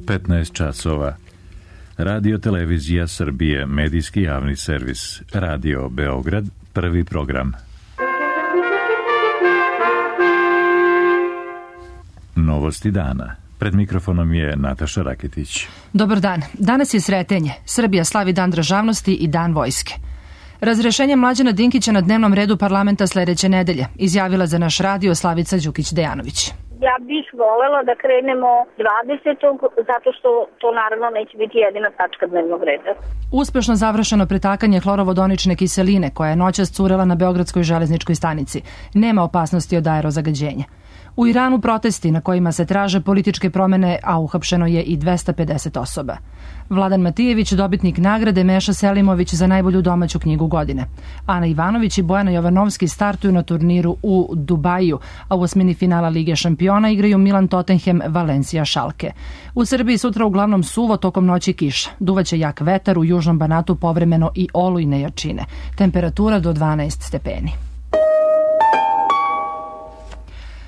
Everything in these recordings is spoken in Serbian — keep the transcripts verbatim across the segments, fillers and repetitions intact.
petnaest časova. Radio Televizija Srbije, medijski javni servis. Radio Beograd, prvi program. Novosti dana. Pred mikrofonom je Nataša Raketić. Dobar dan. Danas je Sretenje. Srbija slavi Dan državnosti i Dan vojske. Razrešenje Mlađana Dinkića na dnevnom redu parlamenta sledeće nedelje, izjavila za naš radio Slavica Đukić-Dejanović. Ja bih volela da krenemo dvadesetog zato što to naravno neće biti jedina tačka dnevnog reda. Uspešno završeno pretakanje hlorovodonične kiseline koja je noćas curela na Beogradskoj železničkoj stanici. Nema opasnosti od aerozagađenja. U Iranu protesti na kojima se traže političke promene, a uhapšeno je i dvesta pedeset osoba. Vladan Matijević, dobitnik nagrade Meša Selimović za najbolju domaću knjigu godine. Ana Ivanović i Bojana Jovanovski startuju na turniru u Dubaju, a u osmini finala Lige šampiona igraju Milan Tottenham, Valencija Šalke. U Srbiji sutra uglavnom suvo, tokom noći kiša. Duvaće jak vetar, u južnom Banatu povremeno i olujne jačine. Temperatura do dvanaest stepeni.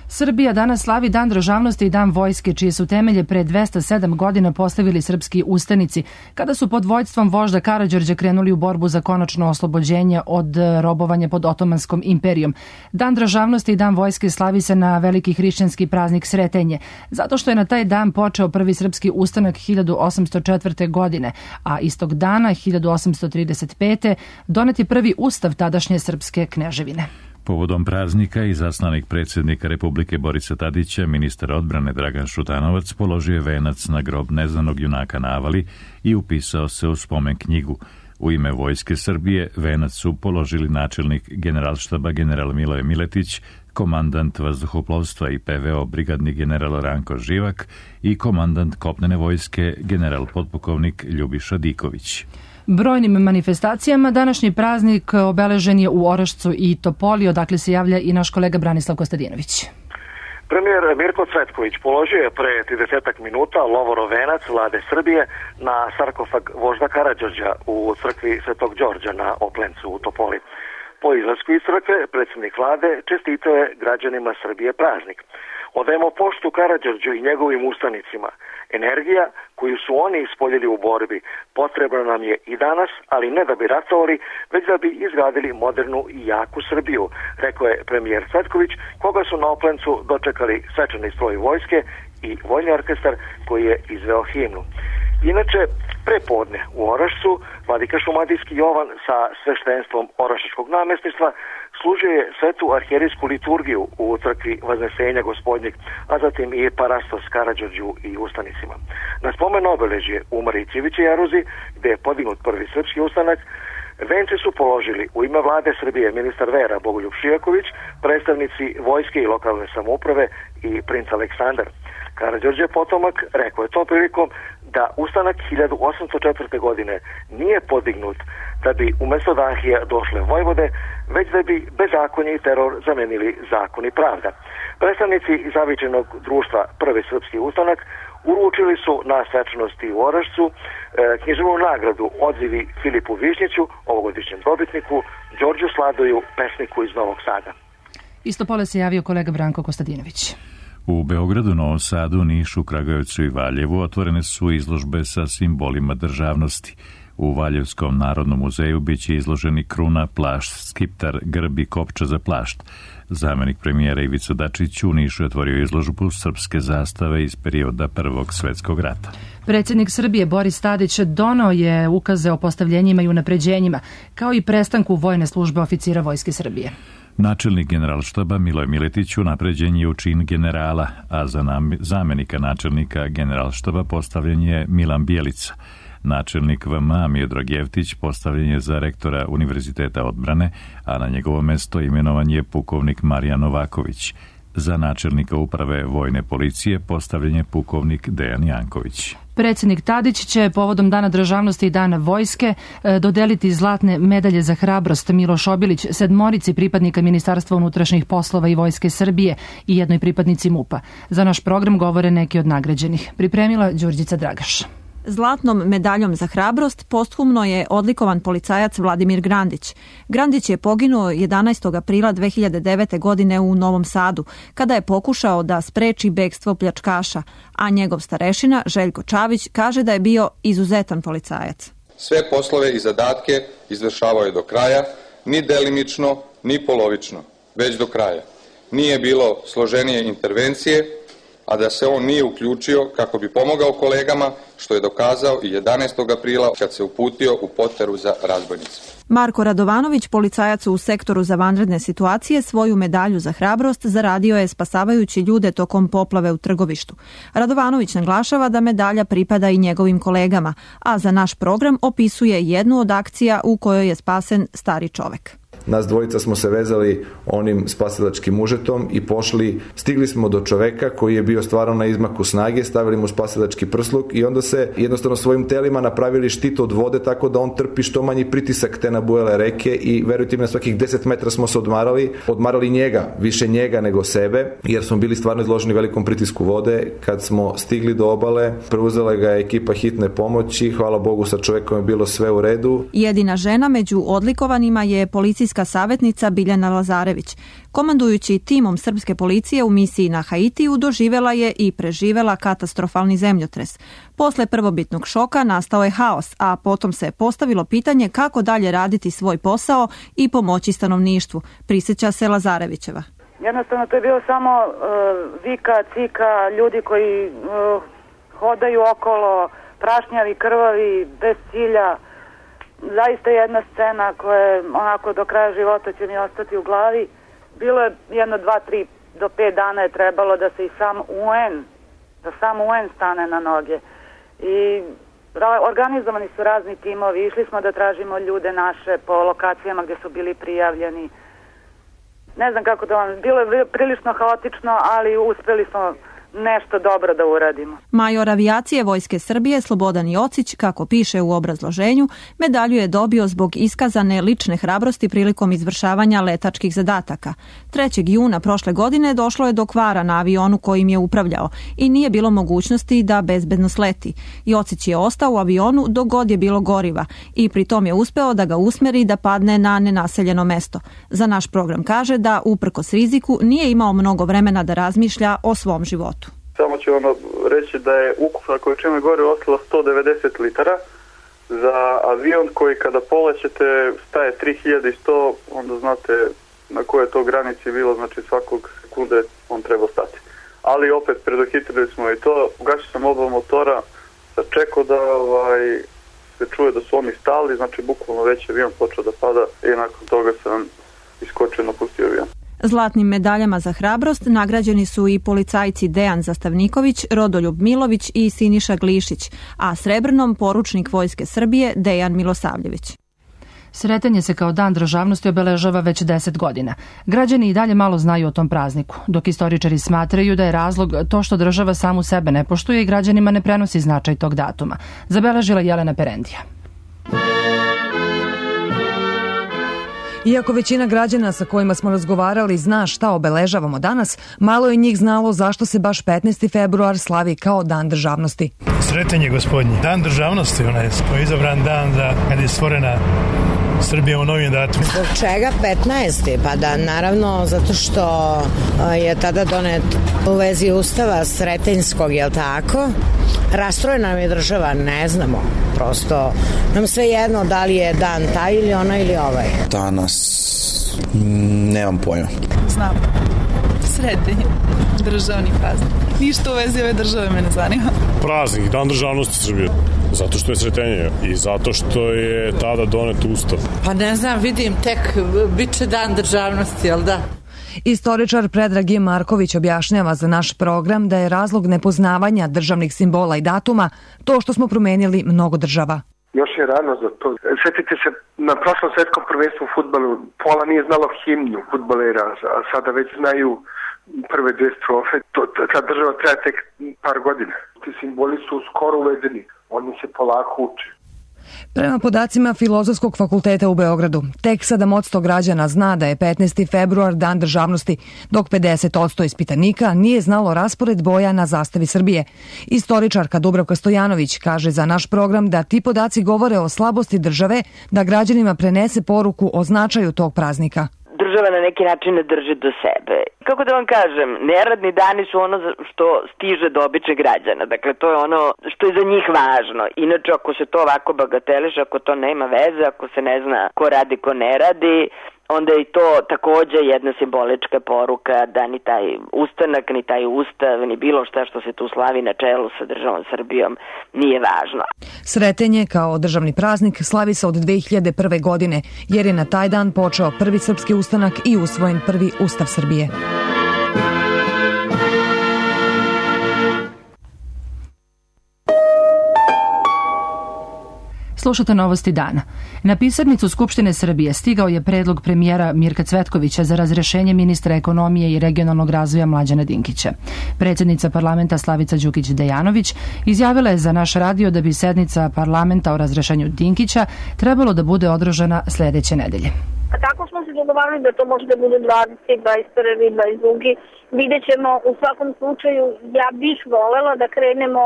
Srbija danas slavi Dan državnosti i Dan vojske, čije su temelje pre dvesta sedam godina postavili srpski ustanici, kada su pod vođstvom vožda Karađorđa krenuli u borbu za konačno oslobođenje od robovanja pod Otomanskom imperijom. Dan državnosti i Dan vojske slavi se na veliki hrišćanski praznik Sretenje, zato što je na taj dan počeo prvi srpski ustanak hiljadu osamsto četvrte. godine, a istog dana hiljadu osamsto trideset pete. donet je prvi ustav tadašnje srpske kneževine. Povodom praznika i zaslanik predsjednika Republike Borisa Tadića, ministar odbrane Dragan Šutanovac položio je venac na grob neznanog junaka na Avali i upisao se u spomen knjigu. U ime Vojske Srbije venac su položili načelnik generalštaba general Miloje Miletić, komandant vazduhoplovstva i P V O brigadni general Ranko Živak i komandant kopnene vojske general podpukovnik Ljubiša Diković. Brojnim manifestacijama današnji praznik obeležen je u Orašcu i Topoli, odakle se javlja i naš kolega Branislav Kostadinović. Premijer Mirko Cvetković položio je pre tridesetak minuta lovorov venac Vlade Srbije na sarkofag vožda Karađorđa u crkvi Svetog Đorđa na Oplencu u Topoli. Po izlasku iz crkve predsjednik Vlade čestitao je građanima Srbije praznik. Odajemo poštu Karađorđu i njegovim ustanicima. Energija koju su oni ispoljili u borbi potrebna nam je i danas, ali ne da bi ratovali, već da bi izgradili modernu i jaku Srbiju, rekao je premijer Cvetković, koga su na Oplencu dočekali svečani stroj vojske i vojni orkestar koji je izveo himnu. Inače, prepodne u Orašcu, vladika Šumadijski Jovan sa sveštenstvom Orašačkog namestništva služio je svetu arhijerijsku liturgiju u crkvi Vaznesenja Gospodnjeg, a zatim i parastos Karađorđu i ustanicima. Na spomen obeležje u Marićevićoj jaruzi, gde je podignut prvi srpski ustanak, vence su položili u ime Vlade Srbije ministar vera Bogoljub Šijaković, predstavnici vojske i lokalne samouprave i princ Aleksandar. Karađorđe potomak rekao je tom prilikom da ustanak hiljadu osamsto četvrte. godine nije podignut da bi umesto Dahija došle vojvode, već da bi bezakonje i teror zamenili zakon i pravda. Predstavnici zavičajnog društva Prvi srpski ustanak uručili su na svečanosti u Orašcu e, književnu nagradu odzivi Filipu Višnjiću, ovogodišnjem dobitniku, Đorđu Sladoju, pesniku iz Novog Sada. Isto pole se javio kolega Branko Kostadinović. U Beogradu, Novom Sadu, Nišu, Kragujevcu i Valjevu otvorene su izložbe sa simbolima državnosti. U Valjevskom narodnom muzeju biće izloženi kruna, plašt, skiptar, grb i kopča za plašt. Zamenik premijera Ivica Dačić u Nišu je otvorio izložbu srpske zastave iz perioda Prvog svetskog rata. Predsjednik Srbije Boris Tadić donao je ukaze o postavljenjima i unapređenjima, kao i prestanku vojne službe oficira Vojske Srbije. Načelnik generalštaba Miloje Miletić unapređen je u čin generala, a za zamenika načelnika generalštaba postavljen je Milan Bjelica. Načelnik V M A Miodrag Jevtić postavljen je za rektora Univerziteta odbrane, a na njegovo mesto imenovan je pukovnik Marijan Novaković. Za načelnika uprave vojne policije postavljen je pukovnik Dejan Janković. Predsjednik Tadić će povodom Dana državnosti i Dana vojske dodeliti zlatne medalje za hrabrost Miloš Obilić sedmorici pripadnika Ministarstva unutrašnjih poslova i Vojske Srbije i jednoj pripadnici M U P-a. Za naš program govore neki od nagrađenih. Pripremila Đurđica Dragaš. Zlatnom medaljom za hrabrost posthumno je odlikovan policajac Vladimir Grandić. Grandić je poginuo jedanaestog aprila dve hiljade devete. godine u Novom Sadu, kada je pokušao da spreči bekstvo pljačkaša, a njegov starešina Željko Čavić kaže da je bio izuzetan policajac. Sve poslove i zadatke izvršavao je do kraja, ni delimično, ni polovično, već do kraja. Nije bilo složenije intervencije, a da se on nije uključio kako bi pomogao kolegama, što je dokazao i jedanaestog aprila kad se uputio u poteru za razbojnicima. Marko Radovanović, policajac u sektoru za vanredne situacije, svoju medalju za hrabrost zaradio je spasavajući ljude tokom poplave u Trgovištu. Radovanović naglašava da medalja pripada i njegovim kolegama, a za naš program opisuje jednu od akcija u kojoj je spasen stari čovek. Nas dvojica smo se vezali onim spasilačkim užetom i pošli, stigli smo do čoveka koji je bio stvarno na izmaku snage, stavili mu spasilački prsluk i onda se jednostavno svojim telima napravili štit od vode tako da on trpi što manji pritisak te nabujale reke i verujte mi na svakih deset metra smo se odmarali, odmarali njega, više njega nego sebe, jer smo bili stvarno izloženi velikom pritisku vode. Kad smo stigli do obale, preuzela ga je ekipa hitne pomoći, hvala Bogu sa čovekom je bilo sve u redu. Jedina žena među odlikovanima je policijska savjetnica Biljana Lazarević. Komandujući timom srpske policije u misiji na Haitiju doživela je i preživela katastrofalni zemljotres. Posle prvobitnog šoka nastao je haos, a potom se postavilo pitanje kako dalje raditi svoj posao i pomoći stanovništvu, prisjeća se Lazarevićeva. Jednostavno to je bilo samo uh, vika, cika, ljudi koji uh, hodaju okolo, prašnjavi, krvavi, bez cilja. Zaista jedna scena koja je onako do kraja života će mi ostati u glavi. Bilo je jedno, dva, tri do pet dana je trebalo da se i sam U N, da sam U N stane na noge. I organizovani su razni timovi, išli smo da tražimo ljude naše po lokacijama gdje su bili prijavljeni. Ne znam kako da vam, bilo je prilično haotično, ali uspjeli smo nešto dobro da uradimo. Major avijacije Vojske Srbije Slobodan Jocić, kako piše u obrazloženju, medalju je dobio zbog iskazane lične hrabrosti prilikom izvršavanja letačkih zadataka. trećeg juna prošle godine došlo je do kvara na avionu kojim je upravljao i nije bilo mogućnosti da bezbedno sleti. Jocić je ostao u avionu dok god je bilo goriva i pritom je uspeo da ga usmeri da padne na nenaseljeno mesto. Za naš program kaže da uprkos riziku nije imao mnogo vremena da razmišlja o svom životu. Samo ću vam reći da je ukupna količina goriva ostala sto devedeset litara. Za avion koji kada polećete staje tri hiljade sto, onda znate na koje to granici bilo, znači svakog sekunde on treba stati. Ali opet predohitrili smo i to, ugašio sam oba motora, sad čekao da ovaj, se čuje da su oni stali, znači bukvalno već avion počeo da pada i nakon toga sam iskočio, napustio avion. Zlatnim medaljama za hrabrost nagrađeni su i policajci Dejan Zastavniković, Rodoljub Milović i Siniša Glišić, a srebrnom poručnik Vojske Srbije Dejan Milosavljević. Sretanje se kao dan državnosti obeležava već deset godina. Građani i dalje malo znaju o tom prazniku, dok istoričari smatraju da je razlog to što država samu sebe ne poštuje i građanima ne prenosi značaj tog datuma. Zabeležila Jelena Perendija. Iako većina građana sa kojima smo razgovarali zna šta obeležavamo danas, malo je njih znalo zašto se baš petnaesti februar slavi kao dan državnosti. Sretan je gospodnji. Dan državnosti, onaj koji je izabran dan za kad je stvorena Srbija u novim datumima. Zbog čega petnaesti? Pa da, naravno, zato što je tada donet u vezi ustava Sretenjskog, jel tako? Rastrojena nam je država, ne znamo. Prosto nam sve jedno da li je dan taj ili ona ili ovaj. Danas nemam pojma. Znam. Sretenje. Državni praznik. Ništa u vezi ove države me ne zanima. Praznik, dan državnosti Srbije. Zato što je sretenje i zato što je tada donet ustav. Pa ne znam, vidim, tek bit će dan državnosti, jel da? Istoričar Predrag G. Marković objašnjava za naš program da je razlog nepoznavanja državnih simbola i datuma to što smo promenili mnogo država. Još je rano za to. Sjetite se, na prošlom svetskom prvenstvu u fudbalu pola nije znalo himnu fudbalera, a sada već znaju prve dve strofe. To, ta država treba tek par godina. Ti simboli su skoro uvedeni. Oni se polako uče. Prema podacima Filozofskog fakulteta u Beogradu, tek sedam posto građana zna da je petnaesti februar dan državnosti, dok pedeset posto ispitanika nije znalo raspored boja na zastavi Srbije. Istoričarka Dubravka Stojanović kaže za naš program da ti podaci govore o slabosti države da građanima prenese poruku o značaju tog praznika. Država na neki način ne drži do sebe. Kako da vam kažem, neradni dani su ono što stiže do običnih građana. Dakle, to je ono što je za njih važno. Inače, ako se to ovako bagateliše, ako to nema veze, ako se ne zna ko radi, ko ne radi, onda je to takođe jedna simbolička poruka da ni taj ustanak, ni taj ustav, ni bilo šta što se tu slavi na čelu sa državom Srbijom nije važno. Sretenje kao državni praznik slavi se od dve hiljade prve. godine, jer je na taj dan počeo prvi srpski ustanak i usvojen prvi Ustav Srbije. Slušate novosti dana. Na pisarnicu Skupštine Srbije stigao je predlog premijera Mirka Cvetkovića za razrešenje ministra ekonomije i regionalnog razvoja Mlađana Dinkića. Predsjednica parlamenta Slavica Đukić Dejanović izjavila je za naš radio da bi sednica parlamenta o razrešenju Dinkića trebalo da bude održana sledeće nedelje. A tako smo se dogovarali da to može da bude dvadeset, dvadeset prvi, dvadeset drugi. Vidjet ćemo, u svakom slučaju ja bih volela da krenemo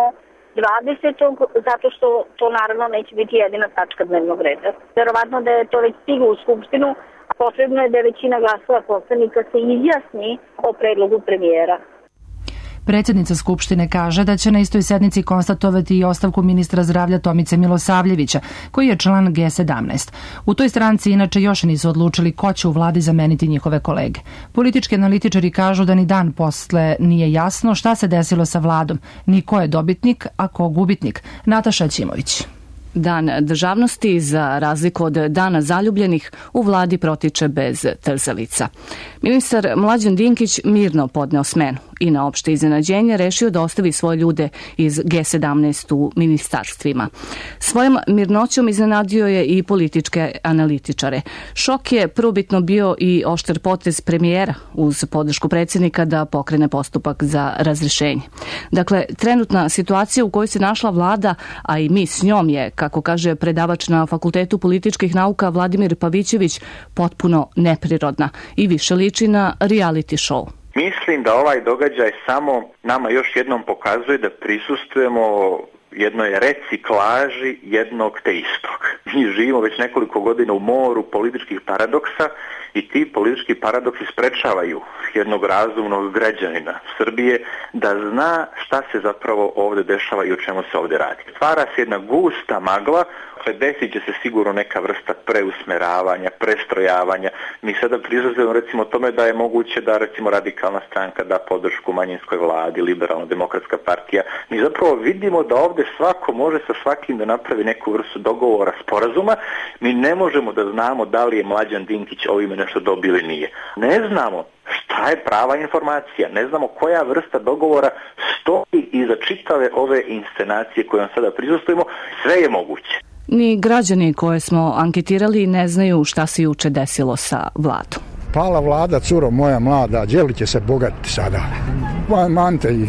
dvadesetog zato što to naravno neće biti jedina tačka dnevnog reda. Verovatno da je to već stiglo u Skupštinu, a potrebno je da većina glasova poslanika se izjasni o predlogu premijera. Predsjednica Skupštine kaže da će na istoj sednici konstatovati i ostavku ministra zdravlja Tomice Milosavljevića, koji je član G sedamnaest. U toj stranci inače još nisu odlučili ko će u vladi zameniti njihove kolege. Politički analitičari kažu da ni dan posle nije jasno šta se desilo sa vladom, ni ko je dobitnik, a ko gubitnik. Nataša Ćimović. Dan državnosti, za razliku od Dana zaljubljenih, u vladi protiče bez trzavica. Ministar Mlađan Dinkić mirno podneo smenu i na opšte iznenađenje rešio da ostavi svoje ljude iz G sedamnaest u ministarstvima. Svojom mirnoćom iznenadio je i političke analitičare. Šok je prvobitno bio i oštar potez premijera uz podršku predsjednika da pokrene postupak za razrešenje. Dakle, trenutna situacija u kojoj se našla vlada, a i mi s njom je, kako kaže predavač na Fakultetu političkih nauka Vladimir Pavićević, potpuno neprirodna i više liči na reality show. Mislim da ovaj događaj samo nama još jednom pokazuje da prisustujemo jednoj reciklaži jednog te istog. Mi živimo već nekoliko godina u moru političkih paradoksa i ti politički paradoksi sprečavaju jednog razumnog građanina Srbije da zna šta se zapravo ovdje dešava i o čemu se ovdje radi. Stvara se jedna gusta magla, desit će se sigurno neka vrsta preusmeravanja, prestrojavanja. Mi sada prizazujemo recimo tome da je moguće da recimo radikalna stranka da podršku manjinskoj vladi, liberalno-demokratska partija. Mi zapravo vidimo da ovdje svako može sa svakim da napravi neku vrstu dogovora, sporazuma. Mi ne možemo da znamo da li je Mlađan Dinkić ovime nešto dobio ili nije. Ne znamo šta je prava informacija, ne znamo koja vrsta dogovora stoji iza čitave ove inscenacije kojom sada prisustujemo. Sve je moguće. Ni građani koje smo anketirali ne znaju šta se juče desilo sa vladom. Pala vlada, curo moja mlada, đeli će se bogatiti sada. Mante i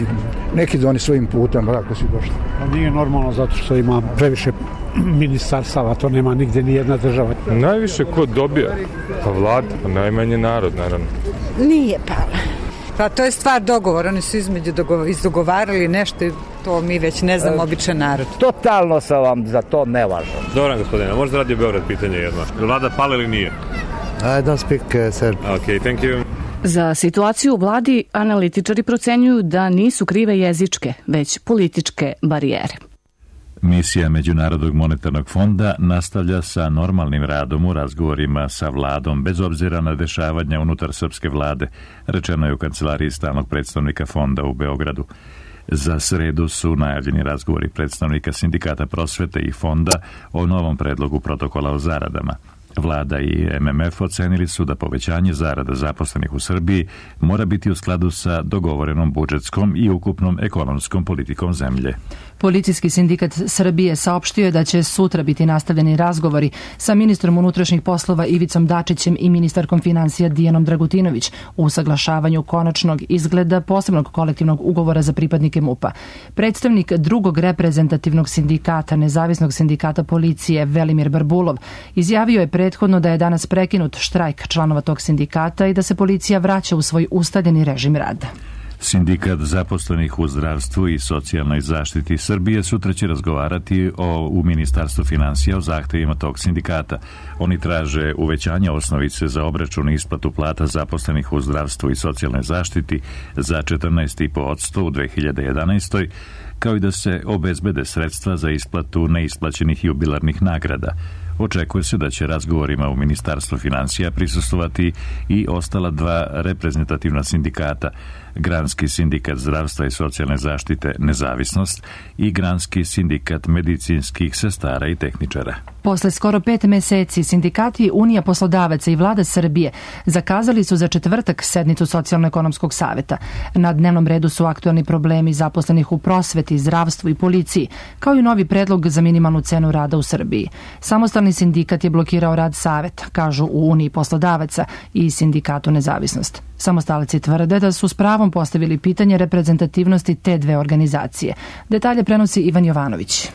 neki doni svojim putem, kako si došli. Nije normalno zato što ima previše ministarstava, to nema nigde ni jedna država. Najviše ko dobija? Pa vlada, pa najmanje narod, naravno. Nije pala. Pa to je stvar dogovora, oni su između izdogovarali nešto i to mi već ne znamo, običan narod. Totalno sam vam za to nevažan. Dobro, gospodine, možda radio Beograd pitanje jedno. Je vlada pala ili nije? I don't speak uh, Serb. Ok, thank you. Za situaciju u vladi analitičari procenjuju da nisu krive jezičke, već političke barijere. Misija Međunarodnog monetarnog fonda nastavlja sa normalnim radom u razgovorima sa vladom, bez obzira na dešavanja unutar srpske vlade, rečeno je u kancelariji stalnog predstavnika fonda u Beogradu. Za sredu su najavljeni razgovori predstavnika sindikata prosvete i fonda o novom predlogu protokola o zaradama. Vlada i M M F ocenili su da povećanje zarada zaposlenih u Srbiji mora biti u skladu sa dogovorenom budžetskom i ukupnom ekonomskom politikom zemlje. Policijski sindikat Srbije saopštio je da će sutra biti nastavljeni razgovori sa ministrom unutrašnjih poslova Ivicom Dačićem i ministarkom finansija Dijanom Dragutinović u usaglašavanju konačnog izgleda posebnog kolektivnog ugovora za pripadnike MUP-a. Predstavnik drugog reprezentativnog sindikata, nezavisnog sindikata policije Velimir Barbulov, izjavio je prethodno da je danas prekinut štrajk članova tog sindikata i da se policija vraća u svoj ustaljeni režim rada. Sindikat zaposlenih u zdravstvu i socijalnoj zaštiti Srbije sutra će razgovarati o, u Ministarstvu finansija o zahtevima tog sindikata. Oni traže uvećanje osnovice za obračun i isplatu plata zaposlenih u zdravstvu i socijalnoj zaštiti za četrnaest zarez pet posto u dve hiljade jedanaestoj. kao i da se obezbede sredstva za isplatu neisplaćenih jubilarnih nagrada. Očekuje se da će razgovorima u Ministarstvu finansija prisustvovati i ostala dva reprezentativna sindikata, Granski sindikat zdravstva i socijalne zaštite Nezavisnost i Granski sindikat medicinskih sestara i tehničara. Posle skoro pet meseci sindikati Unija poslodavaca i Vlada Srbije zakazali su za četvrtak sednicu Socijalno-ekonomskog saveta. Na dnevnom redu su aktualni problemi zaposlenih u prosveti, zdravstvu i policiji, kao i novi predlog za minimalnu cenu rada u Srbiji. Samostalni sindikat je blokirao rad saveta, kažu u Uniji poslodavaca i Sindikatu Nezavisnost. Samostalci tvrde da su s pravom postavili pitanje reprezentativnosti te dve organizacije. Detalje prenosi Ivan Jovanović.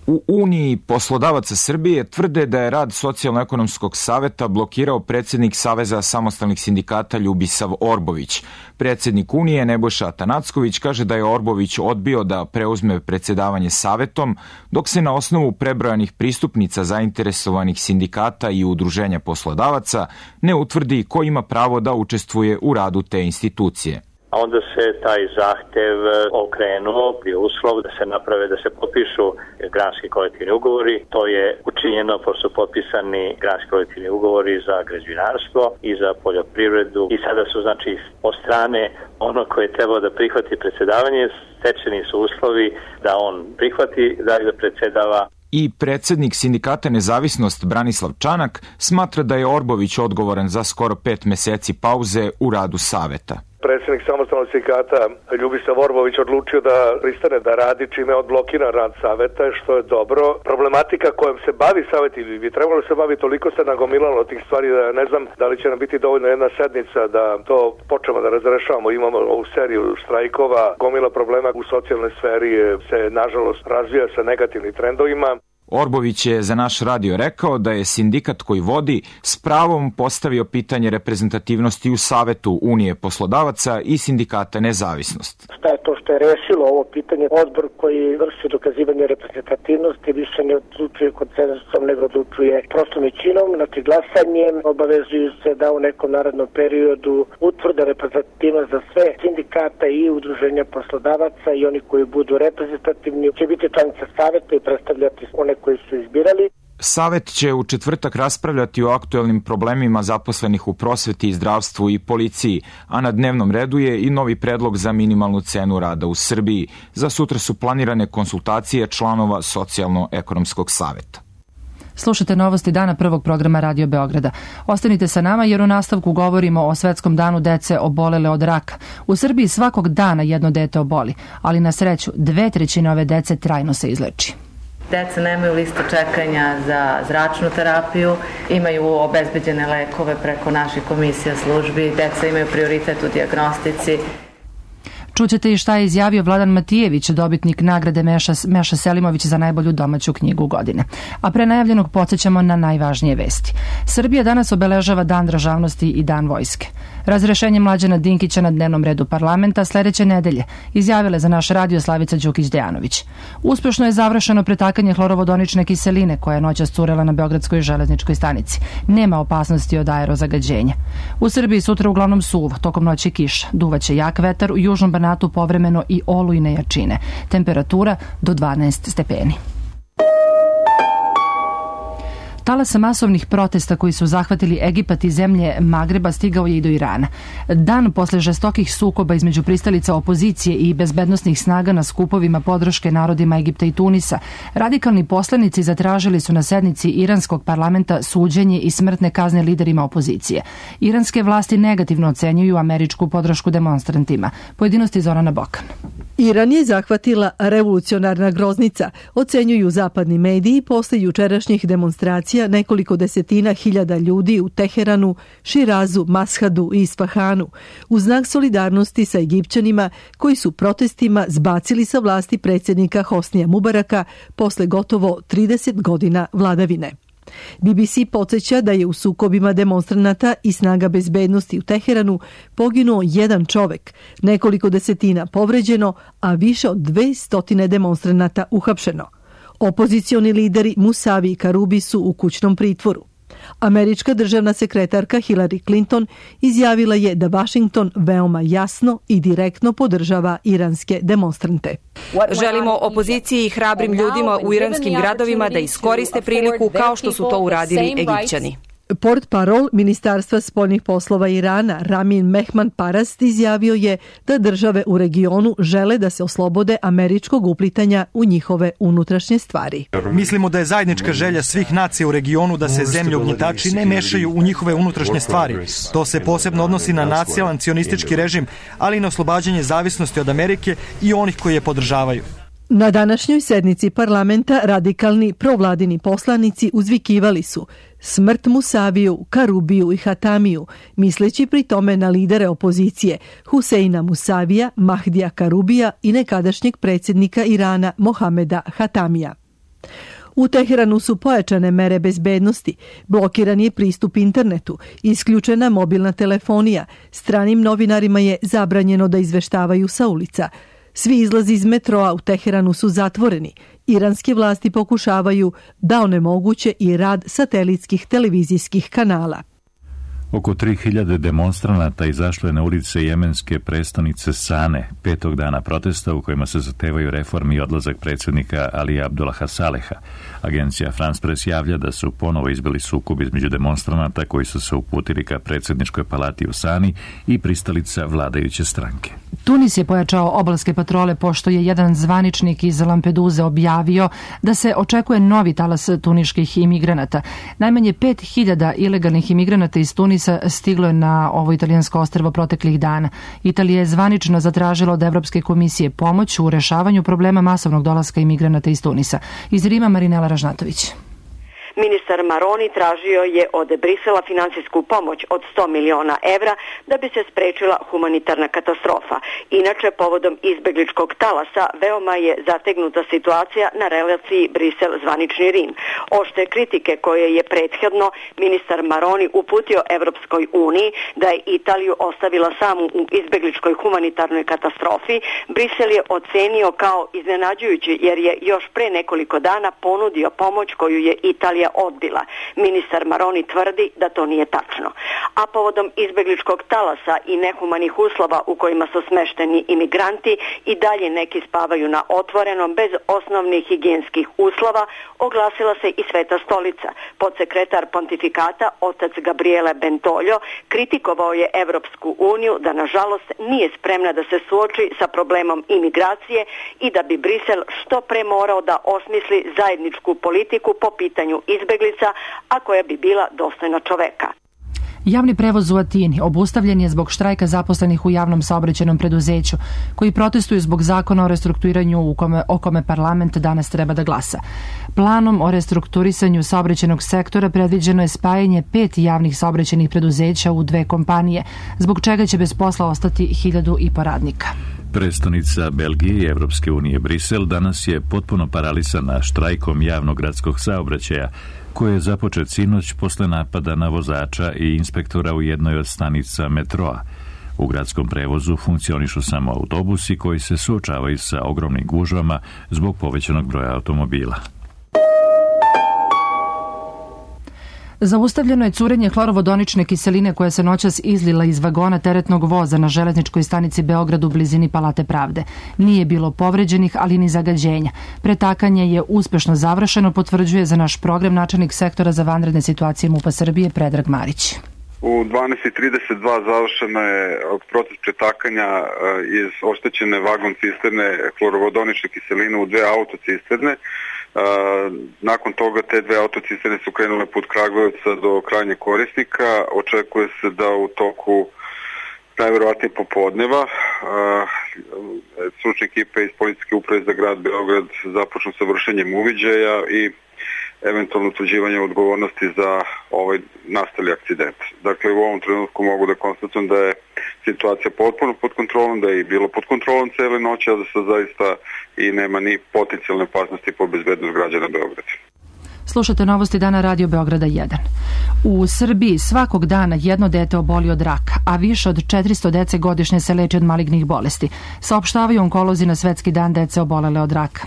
U Uniji poslodavaca Srbije tvrde da je rad Socijalno-ekonomskog saveta blokirao predsjednik Saveza samostalnih sindikata Ljubisav Orbović. Predsjednik Unije Nebojša Atanacković kaže da je Orbović odbio da preuzme predsjedavanje savetom, dok se na osnovu prebrojanih pristupnica zainteresovanih sindikata i udruženja poslodavaca ne utvrdi ko ima pravo da učestvuje u radu te institucije. Onda se taj zahtev okrenuo, bio uslov da se naprave, da se potpišu granski kolektivni ugovori. To je učinjeno, pošto su potpisani granski kolektivni ugovori za građevinarstvo i za poljoprivredu. I sada su, znači, od strane ono koje je trebalo da prihvati predsjedavanje, stečeni su uslovi da on prihvati da predsjedava. I predsjednik sindikata Nezavisnost Branislav Čanak smatra da je Orbović odgovoran za skoro pet meseci pauze u radu saveta. Predsjednik samostalnog sindikata Ljubisav Orbović odlučio da pristane da radi, čime je odblokiran rad saveta, što je dobro. Problematika kojom se bavi savet ili bi trebalo se bavi, toliko se nagomilalo tih stvari da ne znam da li će nam biti dovoljno jedna sednica da to počnemo da razrešavamo. Imamo ovu seriju štrajkova, gomila problema u socijalnoj sferi se nažalost razvija sa negativnim trendovima. Orbović je za naš radio rekao da je sindikat koji vodi s pravom postavio pitanje reprezentativnosti u Savetu Unije poslodavaca i Sindikata Nezavisnost. Šta je to što je rešilo ovo pitanje? Odbor koji vrši dokazivanje reprezentativnosti više ne odlučuje konsenzusom, nego odlučuje prostom većinom, znači glasanjem. Obavezuju se da u nekom narednom periodu utvrde reprezentativnost za sve sindikata i udruženja poslodavaca i oni koji budu reprezentativni će biti članica Saveta i predstavljati one koji su izbirali. Savet će u četvrtak raspravljati o aktuelnim problemima zaposlenih u prosveti, zdravstvu i policiji, a na dnevnom redu je i novi predlog za minimalnu cenu rada u Srbiji. Za sutra su planirane konsultacije članova Socijalno-ekonomskog saveta. Slušate novosti dana prvog programa Radio Beograda. Ostanite sa nama jer u nastavku govorimo o Svetskom danu dece obolele od raka. U Srbiji svakog dana jedno dete oboli, ali na sreću dve trećine ove dece trajno se izleči. Deca nemaju liste čekanja za zračnu terapiju, imaju obezbeđene lekove preko naših komisija službi, deca imaju prioritet u dijagnostici. Čućete i šta je izjavio Vladan Matijević, dobitnik nagrade Meša, Meša Selimović za najbolju domaću knjigu godine. A pre najavljenog podsjećamo na najvažnije vesti. Srbija danas obeležava Dan državnosti i Dan vojske. Razrešenje Mlađana Dinkića na dnevnom redu parlamenta sledeće nedelje, izjavile za naš radio Slavica Đukić-Dejanović. Uspešno je završeno pretakanje hlorovodonične kiseline koja je noćas curela na Beogradskoj železničkoj stanici. Nema opasnosti od aerozagađenja. U Srbiji sutra uglavnom suvo, tokom noći kiša. Duvaće jak vetar, u južnom Banatu povremeno i olujne jačine. Temperatura do dvanaest stepeni. Talas masovnih protesta koji su zahvatili Egipat i zemlje Magreba stigao je i do Irana. Dan posle žestokih sukoba između pristalica opozicije i bezbednosnih snaga na skupovima podrške narodima Egipta i Tunisa, radikalni poslanici zatražili su na sednici iranskog parlamenta suđenje i smrtne kazne liderima opozicije. Iranske vlasti negativno ocenjuju američku podršku demonstrantima. Pojedinosti Zorana Bokan. Iran je zahvatila revolucionarna groznica, ocenjuju zapadni mediji posle jučerašnjih demonstracija nekoliko desetina hiljada ljudi u Teheranu, Širazu, Mashadu i Isfahanu, u znak solidarnosti sa Egipćanima koji su protestima zbacili sa vlasti predsjednika Hosnija Mubaraka posle gotovo trideset godina vladavine. B B C podsjeća da je u sukobima demonstranata i snaga bezbednosti u Teheranu poginuo jedan čovek, nekoliko desetina povređeno, a više od dve stotine demonstranata uhapšeno. Opozicioni lideri Musavi i Karubi su u kućnom pritvoru. Američka državna sekretarka Hillary Clinton izjavila je da Washington veoma jasno i direktno podržava iranske demonstrante. Želimo opoziciji i hrabrim ljudima u iranskim gradovima da iskoriste priliku kao što su to uradili Egipćani. Port parol Ministarstva spoljnih poslova Irana Ramin Mehman Parast izjavio je da države u regionu žele da se oslobode američkog uplitanja u njihove unutrašnje stvari. Mislimo da je zajednička želja svih nacija u regionu da se zemlje ugnjetači ne mešaju u njihove unutrašnje stvari. To se posebno odnosi na nacionalan cionistički režim, ali i na oslobađanje zavisnosti od Amerike i onih koji je podržavaju. Na današnjoj sednici parlamenta radikalni provladini poslanici uzvikivali su smrt Musaviju, Karubiju i Hatamiju, misleći pri tome na lidere opozicije Huseina Musavija, Mahdija Karubija i nekadašnjeg predsjednika Irana Mohameda Hatamija. U Teheranu su pojačane mere bezbednosti, blokiran je pristup internetu, isključena mobilna telefonija, stranim novinarima je zabranjeno da izveštavaju sa ulica. Svi izlazi iz metroa u Teheranu su zatvoreni. Iranske vlasti pokušavaju da onemoguće i rad satelitskih televizijskih kanala. Oko tri hiljade demonstranata izašlo je na ulice jemenske prestonice Sane, petog dana protesta u kojima se zahtevaju reformi i odlazak predsjednika Alija Abdullaha Saleha. Agencija France Press javlja da su ponovo izbili sukob između demonstranata koji su se uputili ka predsjedničkoj palati u Sani i pristalica vladajuće stranke. Tunis je pojačao obalske patrole pošto je jedan zvaničnik iz Lampeduze objavio da se očekuje novi talas tuniških imigranata. Najmanje pet hiljada ilegalnih imigranata iz Tunisa stiglo je na ovo italijansko ostrvo proteklih dana. Italija je zvanično zatražila od Evropske komisije pomoć u rešavanju problema masovnog dolaska imigranata iz Tunisa. Iz Rima Marinela Ražnatović. Ministar Maroni tražio je od Brisela finansijsku pomoć od sto miliona evra da bi se sprečila humanitarna katastrofa. Inače, povodom izbegličkog talasa veoma je zategnuta situacija na relaciji Brisel-zvanični Rim. Oštre kritike koje je prethodno ministar Maroni uputio Evropskoj uniji da je Italiju ostavila samu u izbegličkoj humanitarnoj katastrofi, Brisel je ocenio kao iznenađujući jer je još pre nekoliko dana ponudio pomoć koju je Italija odbila. Ministar Maroni tvrdi da to nije tačno. A povodom izbegličkog talasa i nehumanih uslova u kojima su smešteni imigranti i dalje neki spavaju na otvorenom bez osnovnih higijenskih uslova, oglasila se i Sveta stolica. Podsekretar pontifikata, otac Gabriele Bentoljo, kritikovao je Evropsku uniju da nažalost nije spremna da se suoči sa problemom imigracije i da bi Brisel što pre morao da osmisli zajedničku politiku po pitanju izbeglica, a koja bi bila dostojna čoveka. Javni prevoz u Atini obustavljen je zbog štrajka zaposlenih u javnom saobraćajnom preduzeću, koji protestuju zbog zakona o restrukturiranju u kome, o kome parlament danas treba da glasa. Planom o restrukturisanju saobraćajnog sektora predviđeno je spajanje pet javnih saobraćajnih preduzeća u dve kompanije, zbog čega će bez posla ostati hiljadu i po radnika. Prestonica Belgije i Evropske unije Brisel danas je potpuno paralisana štrajkom javnog gradskog saobraćaja, koji je započet sinoć posle napada na vozača i inspektora u jednoj od stanica metroa. U gradskom prevozu funkcionišu samo autobusi koji se suočavaju sa ogromnim gužvama zbog povećanog broja automobila. Zaustavljeno je curenje hlorovodonične kiseline koja se noćas izlila iz vagona teretnog voza na železničkoj stanici Beograd u blizini Palate pravde. Nije bilo povređenih, ali ni zagađenja. Pretakanje je uspešno završeno, potvrđuje za naš program načelnik sektora za vanredne situacije MUP-a Srbije Predrag Marić. U dvanaest i trideset dva završeno je proces pretakanja iz oštećene vagon cisterne hlorovodonične kiseline u dve autocisterne. Nakon toga te dve autocisterne su krenule put Kragujevca do krajnjeg korisnika. Očekuje se da u toku najverovatnije popodneva stručne ekipe iz Policijske uprave za grad Beograd započnu sa vršenjem uviđaja i eventualno utvrđivanje odgovornosti za ovaj nastali akcident. Dakle, u ovom trenutku mogu da konstatujem da je situacija potpuno pod kontrolom, da je i bilo pod kontrolom cele noći, a da se zaista i nema ni potencijalne opasnosti po bezbednost građana Beograda. Slušate novosti dana Radio Beograda jedan. U Srbiji svakog dana jedno dete oboli od raka, a više od četiristo dece godišnje se leči od malignih bolesti, saopštavaju onkolozi na Svetski dan dece obolele od raka.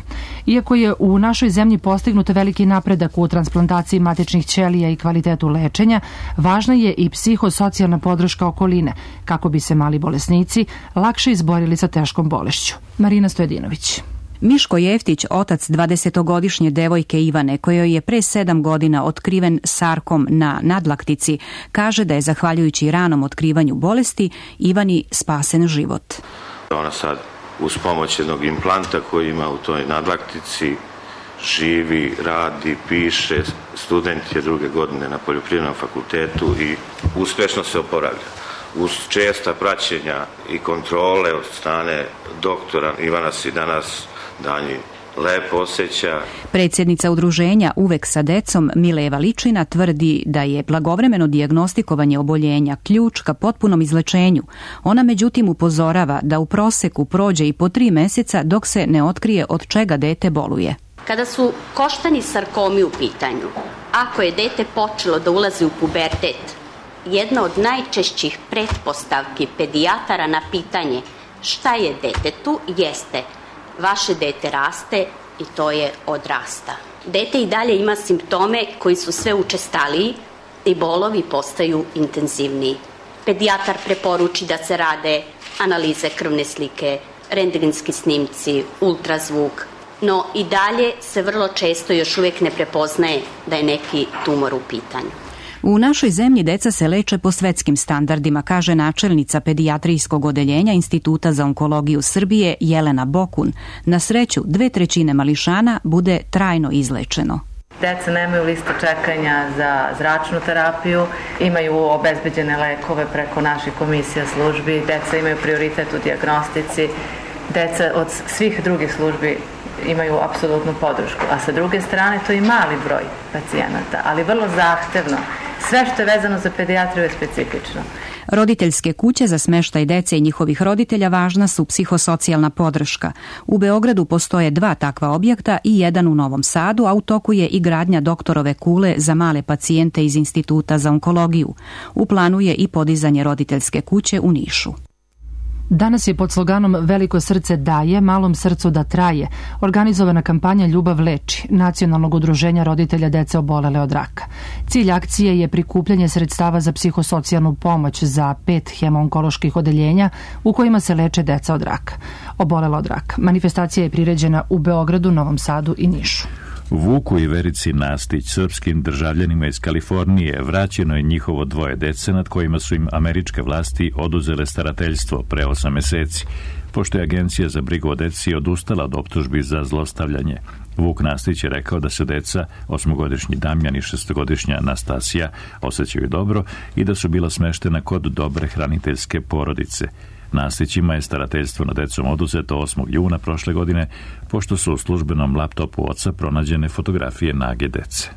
Iako je u našoj zemlji postignut veliki napredak u transplantaciji matičnih ćelija i kvalitetu lečenja, važna je i psihosocijalna podrška okoline, kako bi se mali bolesnici lakše izborili sa teškom bolešću. Marina Stojedinović. Miško Jeftić, otac dvadesetogodišnje devojke Ivane, kojoj je pre sedam godina otkriven sarkom na nadlaktici, kaže da je zahvaljujući ranom otkrivanju bolesti Ivani spasen život. Ona sad uz pomoć jednog implanta koji ima u toj nadlaktici živi, radi, piše, student je druge godine na Poljoprivrednom fakultetu i uspešno se oporavlja. Uz česta praćenja i kontrole od strane doktora Ivana se danas danji lepo osjeća. Predsjednica udruženja Uvek sa decom Mileva Ličina tvrdi da je blagovremeno dijagnostikovanje oboljenja ključ ka potpunom izlečenju. Ona međutim upozorava da u proseku prođe i po tri meseca dok se ne otkrije od čega dete boluje. Kada su koštani sarkomi u pitanju, ako je dete počelo da ulazi u pubertet, jedna od najčešćih pretpostavki pedijatara na pitanje šta je detetu jeste vaše dete raste i to je odrasta. Dete i dalje ima simptome koji su sve učestaliji i bolovi postaju intenzivniji. Pedijatar preporuči da se rade analize krvne slike, rentgenski snimci, ultrazvuk, no i dalje se vrlo često još uvijek ne prepoznaje da je neki tumor u pitanju. U našoj zemlji deca se leče po svetskim standardima, kaže načelnica pedijatrijskog odeljenja Instituta za onkologiju Srbije Jelena Bokun. Na sreću, dve trećine mališana bude trajno izlečeno. Deca nemaju listu čekanja za zračnu terapiju, imaju obezbeđene lekove preko naših komisija službi, deca imaju prioritet u dijagnostici, deca od svih drugih službi imaju apsolutnu podršku, a sa druge strane to je mali broj pacijenata, ali vrlo zahtevno. Sve što je vezano za pedijatriju je specifično. Roditeljske kuće za smeštaj dece i njihovih roditelja važna su psihosocijalna podrška. U Beogradu postoje dva takva objekta i jedan u Novom Sadu, a u toku je i gradnja doktorove kule za male pacijente iz Instituta za onkologiju. U planu je i podizanje roditeljske kuće u Nišu. Danas je pod sloganom Veliko srce daje, malom srcu da traje organizovana kampanja Ljubav leči, nacionalnog udruženja roditelja dece obolele od raka. Cilj akcije je prikupljanje sredstava za psihosocijalnu pomoć za pet hemoonkoloških odeljenja u kojima se leče deca od raka. Obolela od raka. Manifestacija je priređena u Beogradu, Novom Sadu i Nišu. Vuku i Verici Nastić, srpskim državljanima iz Kalifornije, vraćeno je njihovo dvoje dece nad kojima su im američke vlasti oduzele starateljstvo pre osam meseci, pošto je Agencija za brigu o deci odustala od optužbi za zlostavljanje. Vuk Nastić je rekao da se deca, osmogodišnji Damjan i šestogodišnja Anastasija, osjećaju dobro i da su bila smeštena kod dobre hraniteljske porodice. Nastićima je starateljstvo nad decom oduzeto osmog juna prošle godine, pošto su u službenom laptopu oca pronađene fotografije nage dece.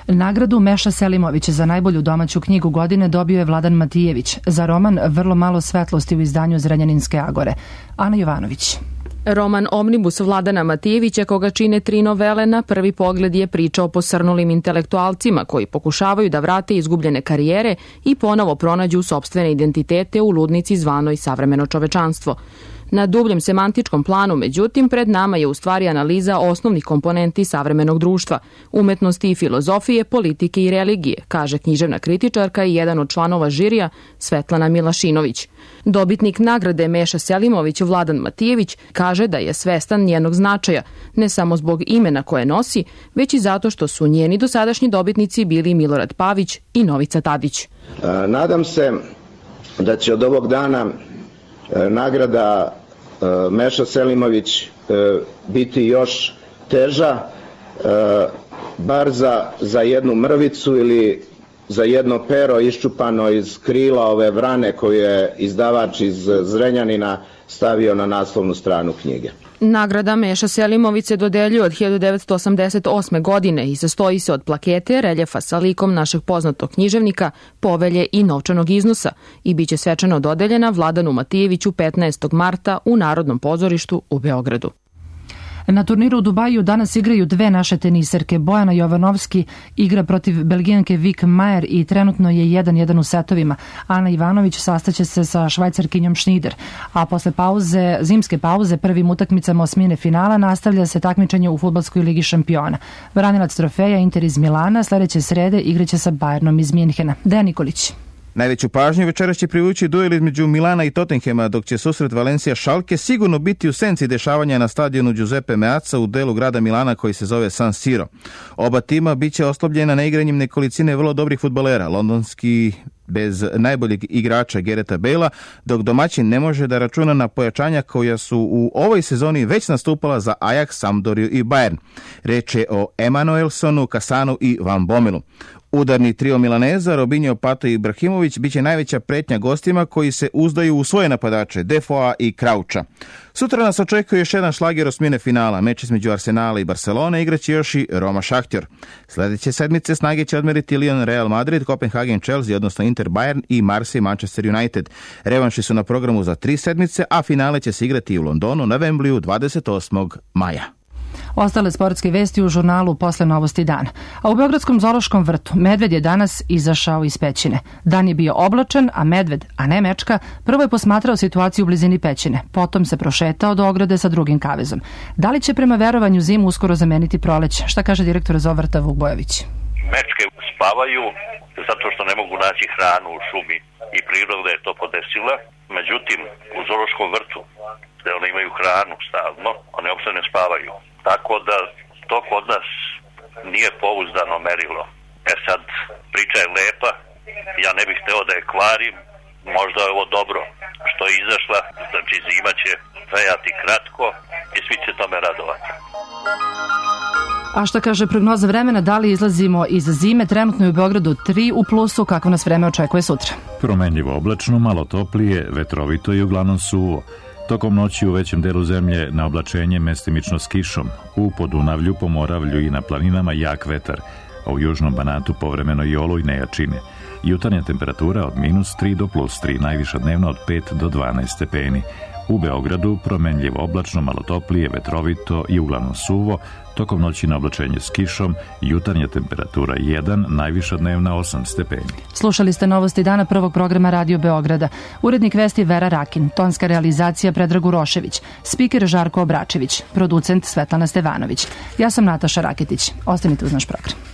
Nagradu Meša Selimović za najbolju domaću knjigu godine dobio je Vladan Matijević za roman Vrlo malo svetlosti u izdanju Zrenjaninske Agore. Ana Jovanović. Roman Omnibus Vladana Matijevića, koga čine tri novele, na prvi pogled je priča o posrnulim intelektualcima koji pokušavaju da vrate izgubljene karijere i ponovo pronađu sopstvene identitete u ludnici zvanoj savremeno čovečanstvo. Na dubljem semantičkom planu, međutim, pred nama je u stvari analiza osnovnih komponenti savremenog društva, umetnosti i filozofije, politike i religije, kaže književna kritičarka i jedan od članova žirija Svetlana Milašinović. Dobitnik nagrade Meša Selimović Vladan Matijević kaže da je svestan njenog značaja, ne samo zbog imena koje nosi, već i zato što su njeni dosadašnji dobitnici bili Milorad Pavić i Novica Tadić. Nadam se da će od ovog dana nagrada Meša Selimović biti još teža, bar za, za jednu mrvicu ili za jedno pero iščupano iz krila ove vrane koju je izdavač iz Zrenjanina stavio na naslovnu stranu knjige. Nagrada Meša Selimović se dodeljuje od hiljadu devetsto osamdeset osme. godine i sastoji se od plakete, reljefa sa likom našeg poznatog književnika, povelje i novčanog iznosa i biće svečano dodeljena Vladanu Matijeviću petnaestog marta u Narodnom pozorištu u Beogradu. Na turniru u Dubaju danas igraju dve naše teniserke. Bojana Jovanovski igra protiv Belgijanke Vik Majer i trenutno je jedan jedan u setovima. Ana Ivanović sastaće se sa Švajcarkinjom Schneider. A posle pauze, zimske pauze, prvim utakmicama osmine finala nastavlja se takmičenje u fudbalskoj ligi šampiona. Branilac trofeja Inter iz Milana sledeće srede igraće sa Bayernom iz Minhena. Dejan Nikolić. Najveću pažnju večeras će privući duel između Milana i Tottenhema, dok će susret Valencija Schalke sigurno biti u senci dešavanja na stadionu Giuseppe Meazza u delu grada Milana koji se zove San Siro. Oba tima biće oslabljena neigranjem nekolicine vrlo dobrih fudbalera, londonski bez najboljeg igrača Gareta Bale'a, dok domaćin ne može da računa na pojačanja koja su u ovoj sezoni već nastupala za Ajax, Sampdoriju i Bayern. Reč je o Emanuelsonu, Kasanu i Van Bommelu. Udarni trio Milaneza, Robinho, Pato i Ibrahimović biće najveća pretnja gostima koji se uzdaju u svoje napadače, Defoa i Krauča. Sutra nas očekuje još jedan šlager osmine finala. Meč između Arsenala i Barcelone igraće još i Roma Šahtjor. Sledeće sedmice snage će odmeriti Lyon Real Madrid, Copenhagen Chelsea, odnosno Inter Bayern i Marseille Manchester United. Revanši su na programu za tri sedmice, a finale će se igrati u Londonu na Wembleyu dvadeset osmog maja. Ostale sportske vesti u žurnalu Posle novosti dana. A u Beogradskom zoološkom vrtu medved je danas izašao iz pećine. Dan je bio oblačan, a medved, a ne mečka, prvo je posmatrao situaciju u blizini pećine. Potom se prošetao do ograde sa drugim kavezom. Da li će prema verovanju zimu uskoro zameniti proleće? Šta kaže direktor zoovrta Vuk Bojović? Mečke spavaju zato što ne mogu naći hranu u šumi i priroda je to podesila. Međutim, u zoološkom vrtu, gde one imaju hranu stalno, one uopšte ne spavaju. Tako da to kod nas nije pouzdano merilo. E sad, priča je lepa, ja ne bih hteo da je kvarim, možda je ovo dobro što je izašla, znači zima će trajati kratko i svi će tome radovati. A šta kaže prognoza vremena, da li izlazimo iz zime? Trenutno je u Beogradu tri u plusu, kako nas vreme očekuje sutra? Promenljivo oblačno, malo toplije, vetrovito i uglavnom suvo. Tokom noći u većem delu zemlje na oblačenje mestimično s kišom, u Podunavlju, Pomoravlju i na planinama jak vetar, a u južnom Banatu povremeno i olujne jačine. Jutarnja temperatura od minus tri do plus tri, najviša dnevno od pet do dvanaest stepeni. U Beogradu promenljivo oblačno, malo toplije, vetrovito i uglavnom suvo, tokom noći na oblačenje s kišom, jutarnja temperatura jedan, najviša dnevna osam stepeni. Slušali ste novosti dana prvog programa Radio Beograda. Urednik vesti Vera Rakin, tonska realizacija Predrag Urošević, spiker Žarko Obračević, producent Svetlana Stevanović. Ja sam Nataša Raketić. Ostanite uz naš program.